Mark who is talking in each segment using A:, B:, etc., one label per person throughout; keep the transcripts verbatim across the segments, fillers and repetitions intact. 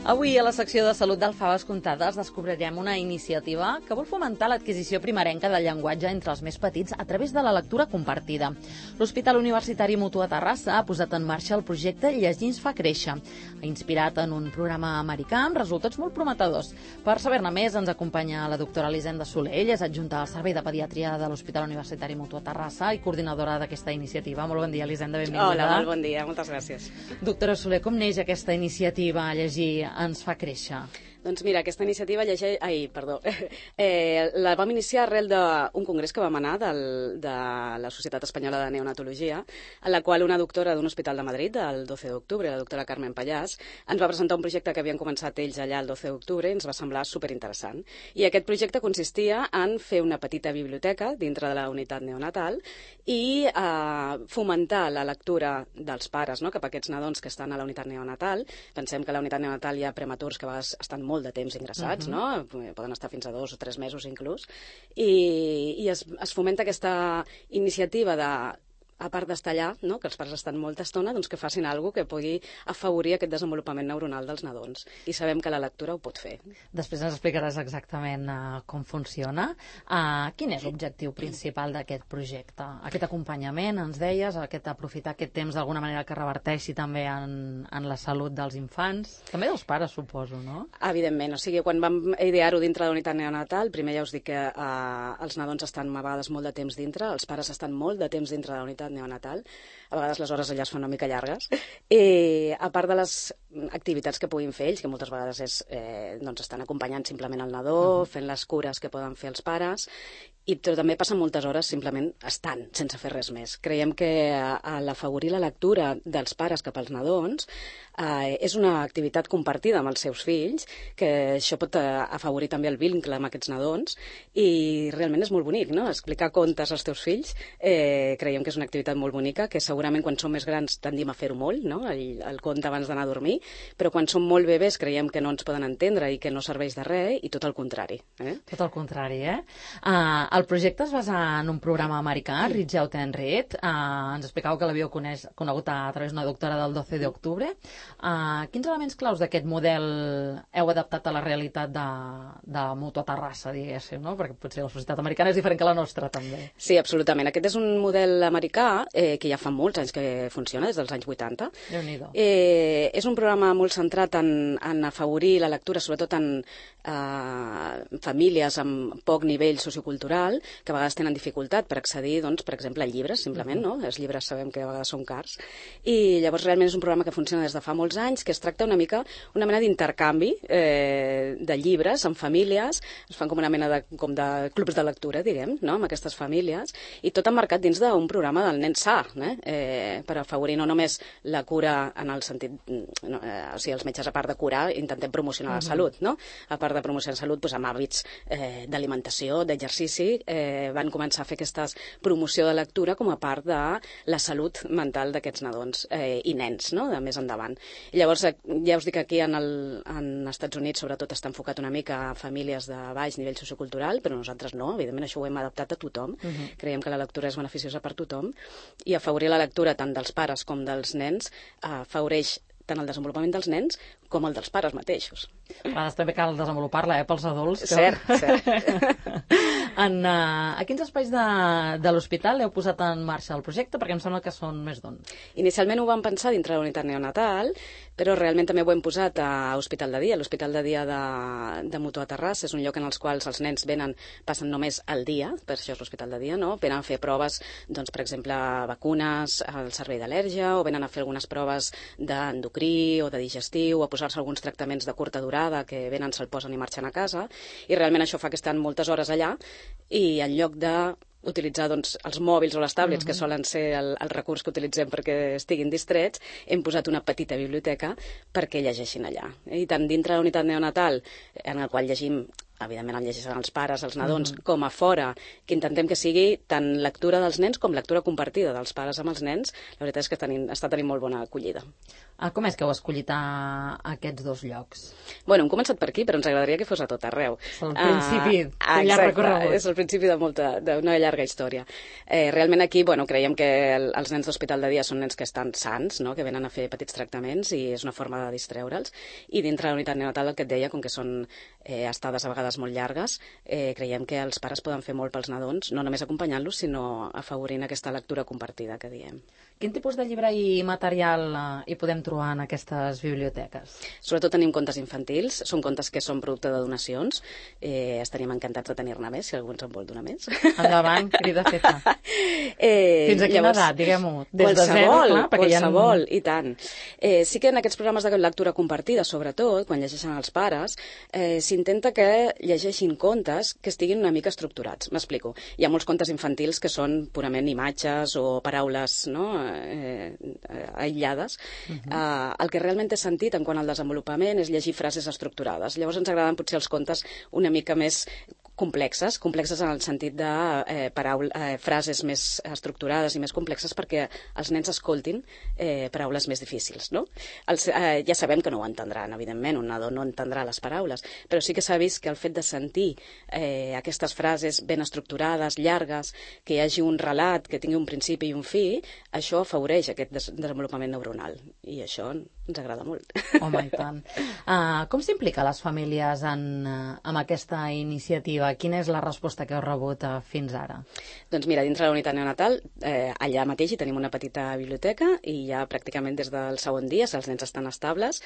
A: Avui, a la secció de Salut d'Alfaves Comptades, descobrirem una iniciativa que vol fomentar l'adquisició primerenca del llenguatge entre els més petits a través de la lectura compartida. L'Hospital Universitari Mutua Terrassa ha posat en marxa el projecte Llegir ens fa créixer, inspirat en un programa americà amb resultats molt prometedors. Per saber-ne més, ens acompanya la doctora Elisenda Soler. Ella és adjunta al Servei de Pediatria de l'Hospital Universitari Mutua Terrassa i coordinadora d'aquesta iniciativa. Molt bon dia, Elisenda, benvinguda.
B: Hola, molt bon dia, moltes gràcies.
A: Doctora Soler, com neix aquesta iniciativa Llegir ens fa créixer?
B: Doncs mira, aquesta iniciativa llegeix... Ai, perdó. Eh, la vam iniciar arrel d'un congrés que vam anar del, de la Societat Espanyola de Neonatologia, en la qual una doctora d'un hospital de Madrid, el doce d'octubre, la doctora Carmen Pallàs, ens va presentar un projecte que havien començat ells allà el doce d'octubre i ens va semblar superinteressant. I aquest projecte consistia en fer una petita biblioteca dintre de la unitat neonatal i eh, fomentar la lectura dels pares, no?, cap a aquests nadons que estan a la unitat neonatal. Pensem que a la unitat neonatal hi ha prematurs que a vegades estan molt de temps ingressats, uh -huh. no? Poden estar fins a dos o tres mesos inclús, i, i es, es fomenta aquesta iniciativa de, a part d'estar allà, no?, que els pares estan molta estona, doncs que facin alguna cosa que pugui afavorir aquest desenvolupament neuronal dels nadons. I sabem que la lectura ho pot fer.
A: Després ens explicaràs exactament uh, com funciona. Uh, quin és l'objectiu principal d'aquest projecte? Aquest acompanyament, ens deies, aquest aprofitar aquest temps d'alguna manera que reverteixi també en, en la salut dels infants, també dels pares, suposo, no?
B: Evidentment, o sigui, quan vam idear-ho dintre de la unitat neonatal, primer ja us dic que uh, els nadons estan a vegades molt de temps dintre, els pares estan molt de temps dintre de la unitat neonatal, a vegades les hores allà es fan una mica llargues, i a part de les activitats que puguin fer ells, que moltes vegades és, eh, doncs estan acompanyant simplement el nadó, fent les cures que poden fer els pares, i també passen moltes hores simplement estant, sense fer res més. Creiem que a l'afavorir la lectura dels pares cap als nadons eh, és una activitat compartida amb els seus fills, que això pot afavorir també el vincle amb aquests nadons, i realment és molt bonic, no?, explicar contes als teus fills. Eh, creiem que és una activitat molt bonica, que segurament quan som més grans tendim a fer-ho molt, no?, el, el conte abans d'anar a dormir, però quan som molt bebès creiem que no ens poden entendre i que no serveix de res, i tot el contrari. Eh?
A: Tot el contrari, eh? Uh, el projecte es basa en un programa americà, Reach Out and Read. Uh, ens explicàveu que l'havíeu conegut a través d'una doctora del doce d'octubre. Uh, quins elements claus d'aquest model heu adaptat a la realitat de, de Mutua Terrassa, diguéssim, no? Perquè potser la societat americana és diferent que la nostra, també.
B: Sí, absolutament. Aquest és un model americà eh, que ja fa molts anys que funciona, des dels anys vuitanta.
A: Déu-n'hi-do.
B: Eh, és un programa molt centrat en, en afavorir la lectura, sobretot en eh, famílies amb poc nivell sociocultural, que a vegades tenen dificultat per accedir, doncs, per exemple, a llibres, simplement, no? Els llibres sabem que a vegades són cars. I llavors realment és un programa que funciona des de fa molts anys, que es tracta una mica, una mena d'intercanvi eh, de llibres amb famílies, es fan com una mena de, com de clubs de lectura, diguem, no?, amb aquestes famílies, i tot emmarcat dins d'un programa del nen sa, eh? Eh, per afavorir no només la cura en el sentit, no, eh, o sigui, els metges a part de curar intentem promocionar la salut, no? A part de promocionar la salut, doncs, amb hàbits eh, d'alimentació, d'exercici, eh, van començar a fer aquesta promoció de lectura com a part de la salut mental d'aquests nadons eh, i nens, no?, de més endavant. I llavors, ja us dic que aquí en, el, en Estats Units sobretot està enfocat una mica a famílies de baix nivell sociocultural, però nosaltres no, evidentment això ho hem adaptat a tothom. Uh -huh. Creiem que la lectura és beneficiosa per tothom, i afavorir la lectura tant dels pares com dels nens afavoreix tant el desenvolupament dels nens com el dels pares mateixos.
A: A vegades també cal desenvolupar-la, eh, pels adults. Que...
B: Cert, cert.
A: En, uh, a quins espais de, de l'hospital heu posat en marxa el projecte? Perquè em sembla que són més d'un.
B: Inicialment ho vam pensar dintre de la unitat neonatal, però realment també ho hem posat a Hospital de Dia. L'Hospital de Dia de, de Mutua Terrassa és un lloc en els quals els nens venen, passen només el dia, per això és l'Hospital de Dia, no? Venen a fer proves, doncs, per exemple, vacunes, al servei d'al·lèrgia, o venen a fer algunes proves d'endocrí o de digestiu, a posar-se alguns tractaments de curta durada que venen, se'l posen i marxen a casa, i realment això fa que estan moltes hores allà, i en lloc de utilitzar, doncs, els mòbils o les tablets, uh-huh. que solen ser el, el recurs que utilitzem perquè estiguin distrets, hem posat una petita biblioteca perquè llegeixin allà. I tant dintre de la unitat neonatal, en el qual llegim evidentment el llegeixen els pares, els nadons, mm. com a fora, que intentem que sigui tant lectura dels nens com lectura compartida dels pares amb els nens, la veritat és que tenim, està tenint molt bona acollida.
A: Ah, com és que heu escollit a aquests dos llocs?
B: Bueno, hem començat per aquí, però ens agradaria que fos a tot arreu.
A: És el principi uh, d'un llarg recorregut.
B: És el principi d'una llarga història. Eh, realment aquí, bueno, creiem que el, els nens d'hospital de dia són nens que estan sants, no? Que venen a fer petits tractaments i és una forma de distreure'ls. I dintre de la unitat neonatal, el que et deia, com que són eh, estades a vegades molt llargues, eh, creiem que els pares poden fer molt pels nadons, no només acompanyant-los, sinó afavorint aquesta lectura compartida que diem.
A: Quin tipus de llibre i material eh, hi podem trobar en aquestes biblioteques?
B: Sobretot tenim contes infantils, són contes que són producte de donacions, eh, estaríem encantats de tenir-ne més, si algú ens en vol donar més.
A: Endavant, crida feta.
B: Eh,
A: Fins a quina
B: llavors,
A: edat, diguem-ho? Des de
B: qualsevol,
A: zero, clar, perquè
B: qualsevol,
A: ha...
B: i tant. Eh, sí que en aquests programes de lectura compartida, sobretot, quan llegeixen els pares, eh, s'intenta que llegeixin contes que estiguin una mica estructurats. M'explico. Hi ha molts contes infantils que són purament imatges o paraules, no?, eh, aïllades. Uh -huh. eh, el que realment té sentit en quant al desenvolupament és llegir frases estructurades. Llavors ens agraden potser els contes una mica més complexes, complexes en el sentit de eh, paraula, eh, frases més estructurades i més complexes perquè els nens escoltin eh, paraules més difícils, no? Els, eh, ja sabem que no ho entendran, evidentment, un nadó no entendrà les paraules, però sí que s'ha vist que el fet de sentir eh, aquestes frases ben estructurades, llargues, que hi hagi un relat, que tingui un principi i un fi, això afavoreix aquest des desenvolupament neuronal, i això ens agrada molt.
A: Home, i tant. Uh, com s'implica les famílies en, uh, en aquesta iniciativa? Quina és la resposta que heu rebut uh, fins ara?
B: Doncs mira, dintre de la unitat neonatal, eh, allà mateix hi tenim una petita biblioteca i ja pràcticament des del segon dia, si els nens estan estables,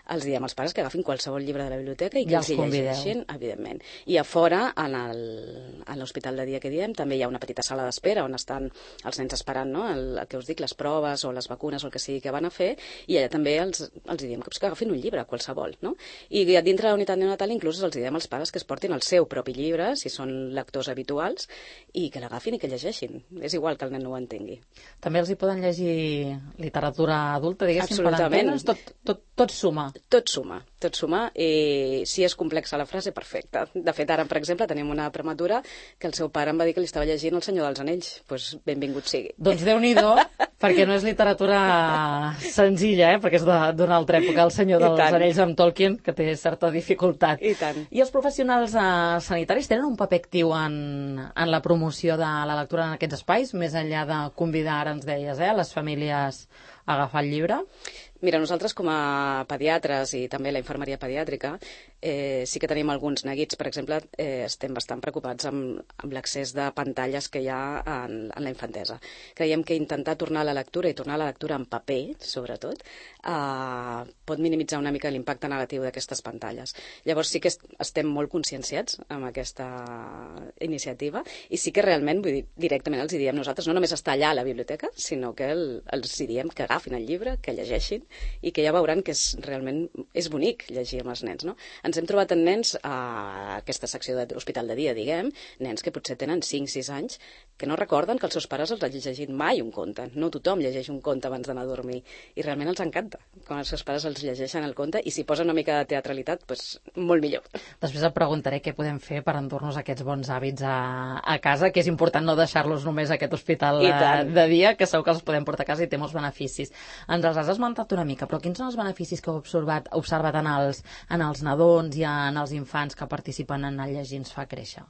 B: els diem als pares que agafin qualsevol llibre de la biblioteca i que
A: ja
B: els hi llegeixin, evidentment. I a fora, en l'hospital de dia que diem, també hi ha una petita sala d'espera on estan els nens esperant, no?, el, el que us dic, les proves o les vacunes o el que sigui que van a fer, i allà també els, els diem que, que agafin un llibre, qualsevol, no? I dintre de la unitat neonatal inclús els diem als pares que es portin el seu propi llibre, si són lectors habituals, i que l'agafin i que llegeixin. És igual que el nen no ho entengui.
A: També els hi poden llegir literatura adulta, diguéssim, per
B: Absolutament.
A: entendre's? Tot, tot, tot suma.
B: Tot suma, tot suma, i si és complexa la frase, perfecte. De fet, ara, per exemple, tenim una prematura que el seu pare em va dir que li estava llegint El senyor dels anells. Doncs pues, benvingut sigui.
A: Doncs Déu-n'hi-do, perquè no és literatura senzilla, eh? Perquè és d'una altra època, El senyor dels anells amb Tolkien, que té certa dificultat.
B: I tant.
A: I els professionals eh, sanitaris tenen un paper actiu en, en la promoció de la lectura en aquests espais, més enllà de convidar, ara ens deies, eh, les famílies a agafar el llibre?
B: Mira, nosaltres com a pediatres i també la infermeria pediàtrica eh, sí que tenim alguns neguits. Per exemple, eh, estem bastant preocupats amb, amb l'accés de pantalles que hi ha en, en la infantesa. Creiem que intentar tornar a la lectura i tornar a la lectura en paper, sobretot, eh, pot minimitzar una mica l'impacte negatiu d'aquestes pantalles. Llavors sí que est estem molt conscienciats amb aquesta iniciativa i sí que realment, vull dir, directament els hi diem nosaltres, no només està allà a la biblioteca, sinó que el, els hi diem que agafin el llibre, que llegeixin i que ja veuran que és, realment és bonic llegir amb els nens, no? Ens hem trobat en nens a aquesta secció d'hospital de dia, diguem, nens que potser tenen cinc sis anys, que no recorden que els seus pares els hagin llegit mai un conte. No tothom llegeix un conte abans d'anar a dormir i realment els encanta quan els seus pares els llegeixen el conte i si posen una mica de teatralitat, doncs molt millor.
A: Després et preguntaré què podem fer per endur-nos aquests bons hàbits a, a casa, que és important no deixar-los només a aquest hospital de dia, que segur que els podem portar a casa i té molts beneficis. Ens els has esmentat una mica, però quins són els beneficis que heu observat, observat en, els, en els nadons i en els infants que participen en el Llegir ens fa créixer?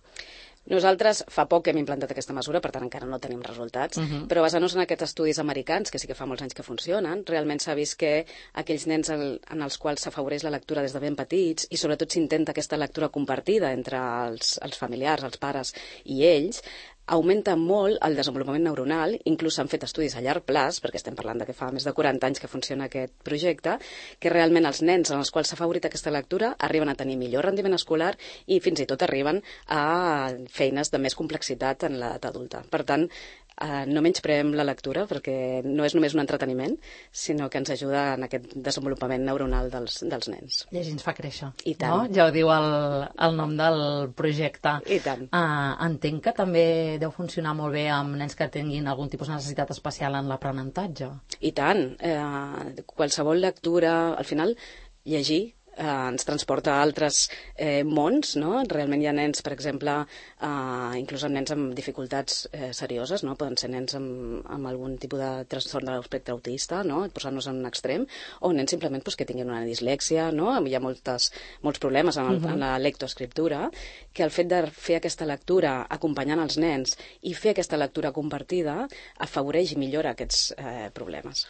B: Nosaltres fa poc hem implantat aquesta mesura, per tant encara no tenim resultats, uh-huh. però basant-nos en aquests estudis americans, que sí que fa molts anys que funcionen, realment s'ha vist que aquells nens en, en els quals s'afavoreix la lectura des de ben petits i sobretot s'intenta aquesta lectura compartida entre els, els familiars, els pares i ells, augmenta molt el desenvolupament neuronal, inclús s'han fet estudis a llarg plaç, perquè estem parlant de que fa més de quaranta anys que funciona aquest projecte, que realment els nens en els quals s'ha favorit aquesta lectura arriben a tenir millor rendiment escolar i fins i tot arriben a feines de més complexitat en l'edat adulta. Per tant, Uh, no menyspreem la lectura perquè no és només un entreteniment, sinó que ens ajuda en aquest desenvolupament neuronal dels, dels nens.
A: Llegir ens fa créixer.
B: I tant.
A: No? Ja ho diu el, el nom del projecte.
B: I tant.
A: Uh, entenc que també deu funcionar molt bé amb nens que tinguin algun tipus de necessitat especial en l'aprenentatge.
B: I tant. Uh, qualsevol lectura, al final, llegir eh, ens transporta a altres eh, mons, no? Realment hi ha nens, per exemple, eh, inclús amb nens amb dificultats eh, serioses, no? Poden ser nens amb, amb algun tipus de trastorn de l'espectre autista, no? Posar-nos en un extrem, o nens simplement pues, que tinguin una dislèxia, no? Hi ha moltes, molts problemes en, el, uh-huh. en la lectoescriptura, que el fet de fer aquesta lectura acompanyant els nens i fer aquesta lectura compartida afavoreix i millora aquests eh, problemes.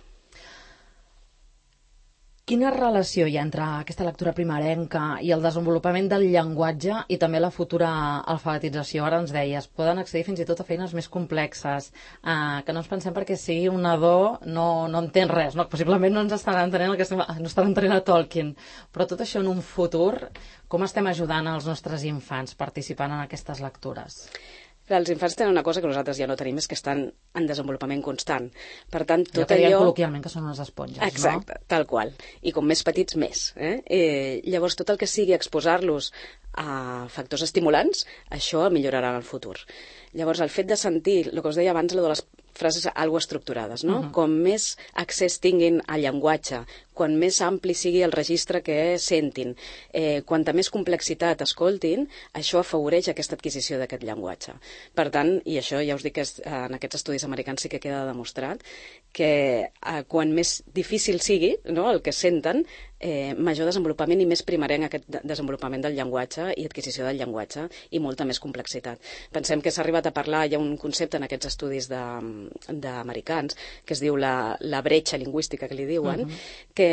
A: Quina relació hi ha entre aquesta lectura primerenca i el desenvolupament del llenguatge i també la futura alfabetització? Ara ens deies, poden accedir fins i tot a feines més complexes, eh, que no ens pensem perquè sigui un nadó no, no entén res, no? Possiblement no ens estarà entenent el que estem, no estarà entenent a Tolkien, però tot això en un futur, com estem ajudant els nostres infants participant en aquestes lectures?
B: Els infants tenen una cosa que nosaltres ja no tenim, és que estan en desenvolupament constant. Per tant, tot
A: allò... que diem
B: allò...
A: col·loquialment que són unes esponges,
B: Exacte,
A: no?
B: tal qual. I com més petits, més. Eh? Eh, llavors, tot el que sigui exposar-los a factors estimulants, això millorarà en el futur. Llavors, el fet de sentir, el que us deia abans, de les frases algo estructurades, no? Uh-huh. Com més accés tinguin al llenguatge, quan més ampli sigui el registre que sentin, eh, quanta més complexitat escoltin, això afavoreix aquesta adquisició d'aquest llenguatge. Per tant, i això ja us dic que és, en aquests estudis americans sí que queda demostrat, que eh, quan més difícil sigui, no?, el que senten, eh, major desenvolupament i més primerenc aquest desenvolupament del llenguatge i adquisició del llenguatge i molta més complexitat. Pensem que s'ha arribat a parlar, hi ha un concepte en aquests estudis de, d'americans que es diu la, la bretxa lingüística que li diuen, uh-huh. que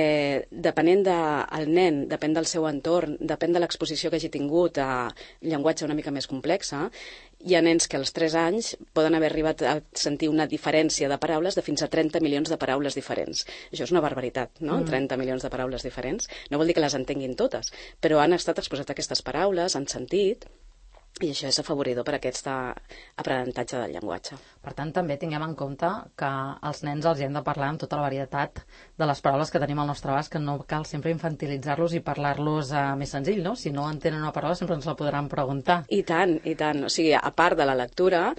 B: depenent del nen, depèn del seu entorn, depèn de l'exposició que hagi tingut a llenguatge una mica més complexa, hi ha nens que als tres anys poden haver arribat a sentir una diferència de paraules de fins a trenta milions de paraules diferents. Això és una barbaritat, no? Mm. trenta milions de paraules diferents. No vol dir que les entenguin totes, però han estat exposats a aquestes paraules, han sentit, i això és afavoridor per aquest aprenentatge del llenguatge.
A: Per tant, també tinguem en compte que als nens els hem de parlar amb tota la varietat de les paraules que tenim al nostre abast, que no cal sempre infantilitzar-los i parlar-los eh, més senzill, no? Si no entenen una paraula sempre ens la podran preguntar.
B: I tant, i tant. O sigui, a part de la lectura,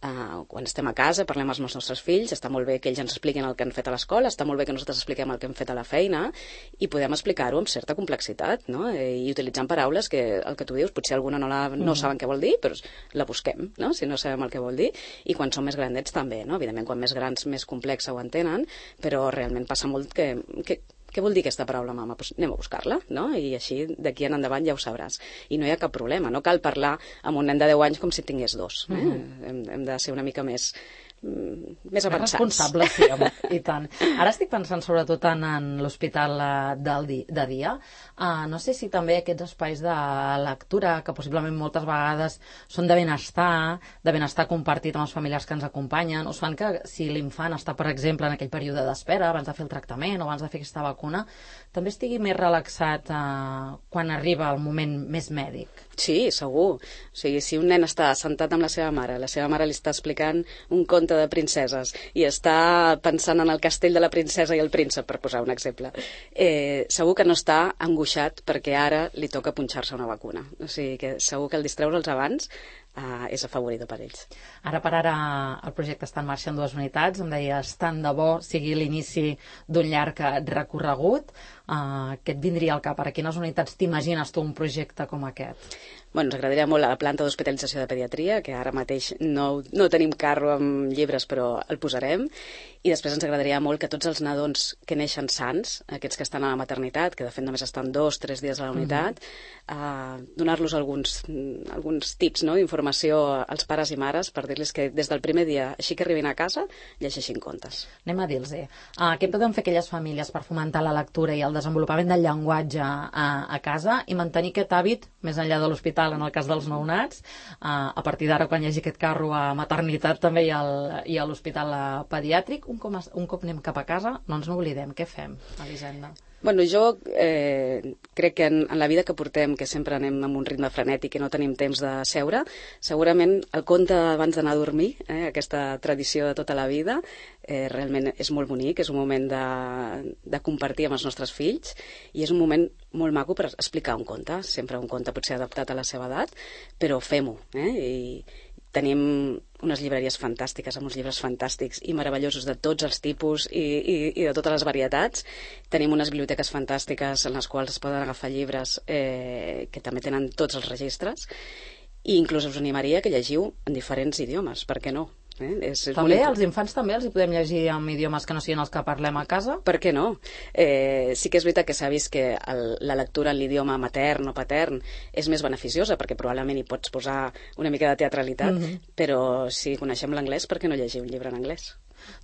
B: Uh, quan estem a casa, parlem amb els nostres fills, està molt bé que ells ens expliquin el que han fet a l'escola, està molt bé que nosaltres expliquem el que hem fet a la feina i podem explicar-ho amb certa complexitat, no? I utilitzant paraules que, el que tu dius, potser alguna no, la, no saben què vol dir, però la busquem, no?, si no sabem el que vol dir, i quan són més grandets també, no? Evidentment, quan més grans, més complexa ho entenen, però realment passa molt que... que què vol dir aquesta paraula, mama? Pues anem a buscar-la, no? I així, d'aquí en endavant, ja ho sabràs. I no hi ha cap problema, no cal parlar amb un nen de deu anys com si tingués dos. Eh? Uh-huh. hem, hem de ser una mica més, més avançats.
A: Responsables, sí, home, i tant. Ara estic pensant sobretot en, en l'hospital del di, de dia. Uh, no sé si també aquests espais de lectura, que possiblement moltes vegades són de benestar, de benestar compartit amb els familiars que ens acompanyen, us fan que si l'infant està, per exemple, en aquell període d'espera, abans de fer el tractament o abans de fer aquesta vacuna, també estigui més relaxat uh, quan arriba el moment més mèdic.
B: Sí, segur. O sigui, si un nen està sentat amb la seva mare, la seva mare li està explicant un conte de princeses i està pensant en el castell de la princesa i el príncep, per posar un exemple, eh, segur que no està angoixat perquè ara li toca punxar-se una vacuna. O sigui, que segur que el distreure'ls abans Uh, és afavoridor per ells.
A: Ara per ara el projecte està en marxa en dues unitats, em deies, tant de bo sigui l'inici d'un llarg recorregut. Uh, què et vindria al cap? A quines unitats t'imagines tu un projecte com aquest?
B: Bueno, ens agradaria molt la planta d'hospitalització de pediatria, que ara mateix no, no tenim carro amb llibres, però el posarem. I després ens agradaria molt que tots els nadons que neixen sants, aquests que estan a la maternitat, que de fet només estan dos, tres dies a la unitat, uh-huh. uh, donar-los alguns, alguns tips, no?, d'informació als pares i mares per dir-los que des del primer dia, així que arribin a casa, llegeixin contes.
A: Anem a dir-los-hi. Uh, què poden fer aquelles famílies per fomentar la lectura i el desenvolupament del llenguatge a, a casa i mantenir aquest hàbit més enllà de l'hospital, en el cas dels nounats, uh, a partir d'ara, quan hi hagi aquest carro a maternitat també i, al, i a l'hospital pediàtric, un cop, un cop anem cap a casa, no ens n'oblidem. Què fem, Elisenda?
B: Bueno, jo eh, crec que en, en la vida que portem, que sempre anem amb un ritme frenètic i no tenim temps de seure, segurament el conte abans d'anar a dormir, eh, aquesta tradició de tota la vida, eh, realment és molt bonic, és un moment de, de compartir amb els nostres fills i és un moment molt maco per explicar un conte, sempre un conte potser adaptat a la seva edat, però fem-ho, eh, i tenim unes llibreries fantàstiques, amb uns llibres fantàstics i meravellosos de tots els tipus i, i, i de totes les varietats. Tenim unes biblioteques fantàstiques en les quals es poden agafar llibres eh, que també tenen tots els registres, i inclús us animaria que llegiu en diferents idiomes, per què no? Eh? És, és
A: també,
B: molt...
A: als infants també els hi podem llegir en idiomes que no siguin els que parlem a casa?
B: Per què no? Eh, sí que és veritat que s'ha vist que el, la lectura en l'idioma matern o patern és més beneficiosa, perquè probablement hi pots posar una mica de teatralitat, mm-hmm. però si coneixem l'anglès, per què no llegir un llibre en anglès?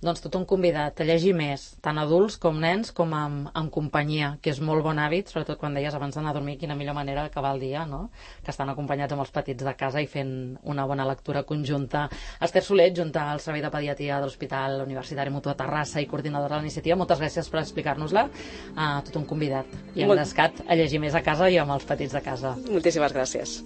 A: Doncs tothom convidat a llegir més, tant adults com nens, com amb, amb companyia, que és molt bon hàbit, sobretot quan deies abans d'anar a dormir, quina millor manera d'acabar el dia, no? Que estan acompanyats amb els petits de casa i fent una bona lectura conjunta. Esther Soler, junta al Servei de Pediatria de l'Hospital Universitari Mutu de Terrassa i coordinadora de la iniciativa, moltes gràcies per explicar-nos-la. Uh, tothom convidat i engrescat a llegir més a casa i amb els petits de casa.
B: Moltíssimes gràcies.